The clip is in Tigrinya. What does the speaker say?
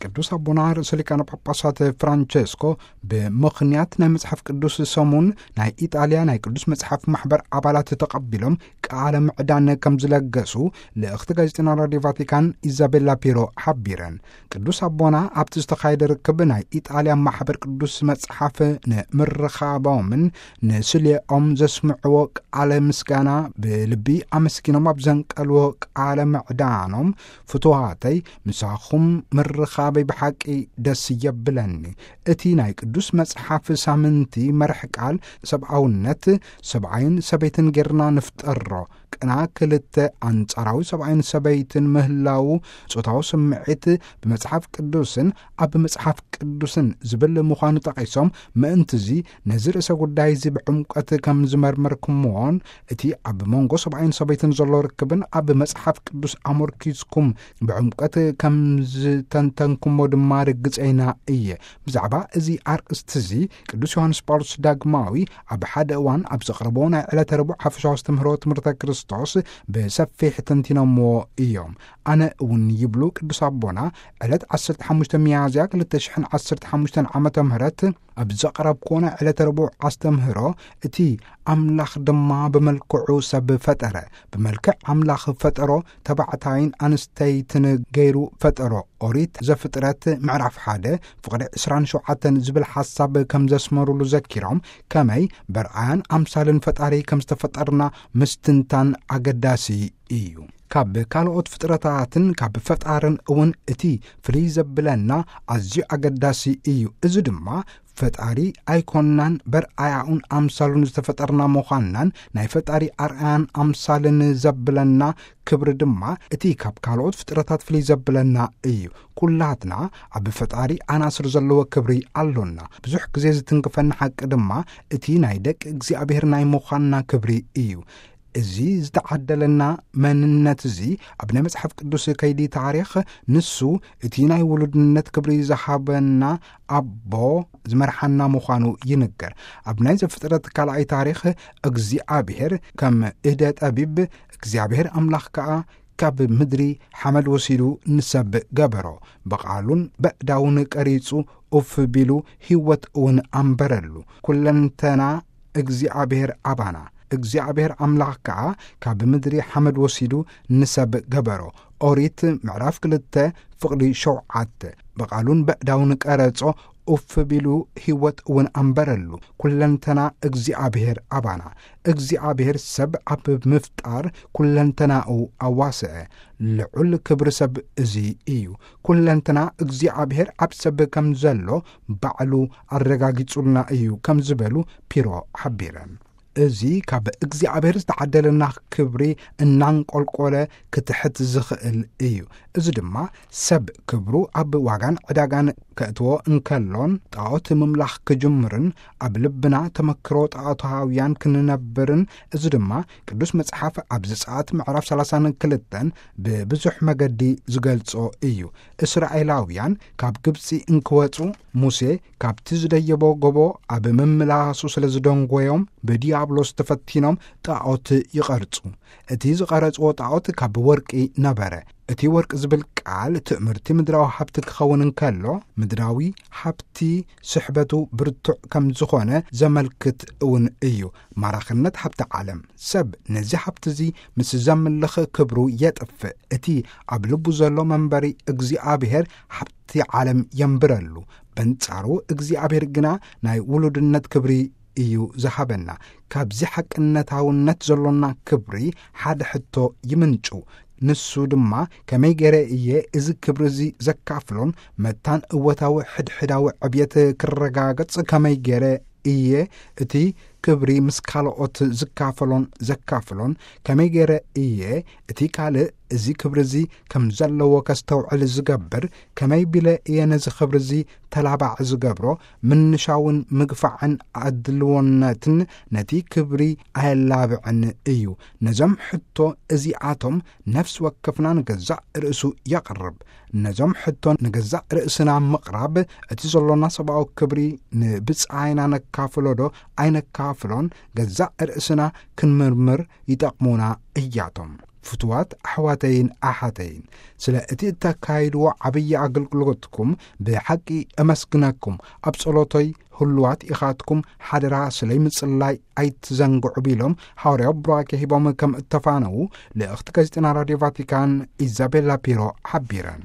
ቅዱስ ኣቦና ርእሰ ሊቃነ ጳጳሳት ፍራንቸስኮ፣ ብምኽንያት ናይ መጽሓፍ ቅዱስ ሰሙን፣ ናይ ኢጣልያ ናይ ቅዱስ መጽሓፍ ማሕበር ኣባላት ተቐቢሎም ቃለ ምዕዳን ከም ዝለገሱ ልእኽቲ ጋዜጠኛ ራዲዮ ቫቲካን ኢዛቤላ ፒሮ ሓቢረን። ቅዱስ ኣቦና ኣብቲ ዝተኻየደ ርክብ፣ ናይ ኢጣልያ ማሕበር ቅዱስ መጽሓፍ ንምርኻቦምን ንስሌኦም ዘስምዕዎ ቃለ ምስጋና ብልቢ ኣመስጊኖም፣ ኣብ ዘንቀልዎ ቃለ ምዕዳኖም፣ ፍቱዋተይ፣ ምሳኹም ምርኻበይ ብሓቂ ደስ የብለኒ። እቲ ናይ ቅዱስ መጽሓፍ ሳምንቲ መርሕ ቃል፣ ሰብኣውነት፣ ሰብኣይን ሰበይትን ጌርና ንፍጠሮ፣ ቅና ክልተ ኣንጻራዊ ሰብኣይን ሰበይትን ምህላው፣ ጾታዊ ስምዒት ብመጽሓፍ ቅዱስን ኣብ መጽሓፍ ቅዱስን ዝብል ምዃኑ ጠቒሶም፣ ምእንትዚ ነዚ ርእሰ ጉዳይ እዚ ብዕምቀት ከም ዝመርመርኩምዎን፣ እቲ ኣብ መንጎ ሰብኣይን ሰበይትን ዘሎ ርክብን ኣብ መጽሓፍ ቅዱስ ኣመርኪዝኩም ብዕምቀት ከም ዝተንተንኩሞ ድማ ርግጸይና እየ። ብዛዕባ እዚ ኣርእስቲ እዚ ቅዱስ ዮሃንስ ጳውሎስ ዳግማዊ ኣብ ሓደ እዋን ኣብ ዘቕረቦ ናይ ዕለተ ረቡዕ ሓፈሻዊ ኣስተምህሮ ትምህርተ ክርስቶስ ብሰፊሕ ተንቲኖምዎ እዮም። ኣነ እውን ይብሉ ቅዱስ ኣቦና፣ ዕለት ዓሰርተ ሓሙሽተ ሚያዝያ ክልተ ሽሕን ዓሰርተ ሓሙሽተን ዓመተ ምህረት ኣብ ዘቕረብክዎ ናይ ዕለተ ረቡዕ ኣስተምህሮ፣ እቲ ኣምላኽ ድማ ብመልክዑ ሰብ ፈጠረ፣ ብመልክዕ ኣምላኽ ፈጠሮ፣ ተባዕታይን ኣንስተይትን ገይሩ ፈጠሮ። ኦሪት ዘፍጥረት ምዕራፍ ሓደ ፍቕዲ ዕስራን ሸውዓተን ዝብል ሓሳብ ከም ዘስመሩሉ ዘኪሮም፣ ከመይ በርኣያን ኣምሳልን ፈጣሪ ከም ዝተፈጠርና ምስትንታን ኣገዳሲ እዩ። ካብ ካልኦት ፍጥረታትን ካብ ፈጣርን እውን እቲ ፍልይ ዘብለና ኣዝዩ ኣገዳሲ እዩ። እዚ ድማ ፈጣሪ ኣይኮንናን፣ በርኣያኡን ኣምሳሉን ዝተፈጠርና ምዃንናን ናይ ፈጣሪ ኣርኣያን ኣምሳልን ዘብለና ክብሪ ድማ እቲ ካብ ካልኦት ፍጥረታት ፍልይ ዘብለና እዩ። ኩላትና ኣብ ፈጣሪ ኣናስር ዘለዎ ክብሪ ኣሎና። ብዙሕ ግዜ ዝትንክፈና ሓቂ ድማ እቲ ናይ ደቂ እግዚኣብሔር ናይ ምዃንና ክብሪ እዩ። እዚ ዝተዓደለና መንነት እዚ ኣብ ናይ መጽሓፍ ቅዱስ ከይዲ ታሪኽ፣ ንሱ እቲ ናይ ውሉድነት ክብሪ ዝሃበና ኣቦ ዝመርሓና ምዃኑ ይንገር። ኣብ ናይ ዘፍጥረት ካልኣይ ታሪኽ፣ እግዚኣብሔር ከም እደ ጠቢብ፣ እግዚኣብሔር ኣምላኽ ከኣ ካብ ምድሪ ሓመድ ወሲዱ ንሰብ ገበሮ፣ ብቓሉን በእዳውን ቀሪጹ ኡፍ ቢሉ ህይወት እውን ኣንበረሉ። ኩለንተና እግዚኣብሔር ኣባና፣ እግዚኣብሔር ኣምላኽ ከኣ ካብ ምድሪ ሓመድ ወሲዱ ንሰብ ገበሮ። ኦሪት ምዕራፍ ክልተ ፍቕዲ ሸውዓተ። ብቓሉን በእዳውን ቀረጾ፣ ኡፍ ቢሉ ህይወት እውን ኣንበረሉ። ኩለንተና እግዚኣብሔር ኣባና። እግዚኣብሔር ሰብ ኣብ ምፍጣር ኩለንተናኡ ኣዋስዐ። ልዑል ክብሪ ሰብ እዚ እዩ። ኩለንተና እግዚኣብሔር ኣብ ሰብ ከም ዘሎ ባዕሉ ኣረጋጊጹልና እዩ ከም ዝበሉ ፒሮ ሓቢረን። እዚ ካብ እግዚኣብሔር ዝተዓደለና ክብሪ እናንቆልቆለ ክትሕት ዝኽእል እዩ። እዚ ድማ ሰብ ክብሩ ኣብ ዋጋን ዕዳጋን ከእትዎ እንከሎን ጣዖት ምምላኽ ክጅምርን ኣብ ልብና ተመክሮ ጣዖታውያን ክንነብርን፣ እዚ ድማ ቅዱስ መጽሓፍ ኣብ ዘጸኣት ምዕራፍ ሰላሳን ክልተን ብብዙሕ መገዲ ዝገልጾ እዩ። እስራኤላውያን ካብ ግብጺ እንክወጹ፣ ሙሴ ካብቲ ዝደየቦ ጎቦ ኣብ ምምላሱ ስለ ዝደንጎዮም፣ ብዲያብሎስ ተፈቲኖም ጣዖት ይቐርጹ። እቲ ዝቐረጽዎ ጣዖት ካብ ወርቂ ነበረ። እቲ ወርቂ ዝብል ቃል ትእምርቲ ምድራዊ ሃብቲ ክኸውን እንከሎ፣ ምድራዊ ሃብቲ ስሕበቱ ብርቱዕ ከም ዝኾነ ዘመልክት እውን እዩ። ማራኽነት ሃብቲ ዓለም። ሰብ ነዚ ሃብቲ እዚ ምስ ዘምልኽ ክብሩ የጥፍእ። እቲ ኣብ ልቡ ዘሎ መንበሪ እግዚኣብሔር ሃብቲ ዓለም የንብረሉ። በንጻሩ እግዚኣብሔር ግና ናይ ውሉድነት ክብሪ እዩ ዝሃበና። ካብዚ ሓቅነታውነት ዘሎና ክብሪ ሓደ ሕቶ ይምንጩ። ንሱ ድማ፣ ከመይ ገይረ እየ እዚ ክብሪ እዚ ዘካፍሎን መታን እወታዊ ሕድሕዳዊ ዕብየት ክረጋገጽ ከመይ ገይረ እየ እቲ ክብሪ ምስ ካልኦት ዝካፈሎን ዘካፍሎን? ከመይ ገይረ እየ እቲ ካልእ እዚ ክብሪ እዚ ከም ዘለዎ ከስተውዕል ዝገብር? ከመይ ቢለ እየ ነዚ ክብሪ እዚ ተላባዒ ዝገብሮ? ምንሻውን ምግፋዕን ኣድልዎነትን ነቲ ክብሪ ኣየላብዕን እዩ። ነዞም ሕቶ እዚኣቶም ነፍሲ ወከፍና ንገዛእ ርእሱ የቕርብ። ነዞም ሕቶ ንገዛእ ርእስና ምቕራብ፣ እቲ ዘሎና ሰብኣዊ ክብሪ ንብጻይና ነካፍሎ ዶ ኣይነካፍሎን ገዛእ ርእስና ክንምርምር ይጠቕሙና እያቶም። ፍትዋት ኣሕዋተይን ኣሓተይን፣ ስለ እቲ እተካይድዎ ዓብዪ ኣገልግሎትኩም ብሓቂ እመስግነኩም። ኣብ ጸሎቶይ ህሉዋት ኢኻትኩም። ሓደራ ስለይ ምጽላይ ኣይትዘንግዑ፣ ቢሎም ሓዋርያዊ ቡራኬ ሂቦም ከም እተፋነዉ ልእኽቲ ጋዜጠና ራድዮ ቫቲካን ኢዛቤላ ፒሮ ሓቢረን።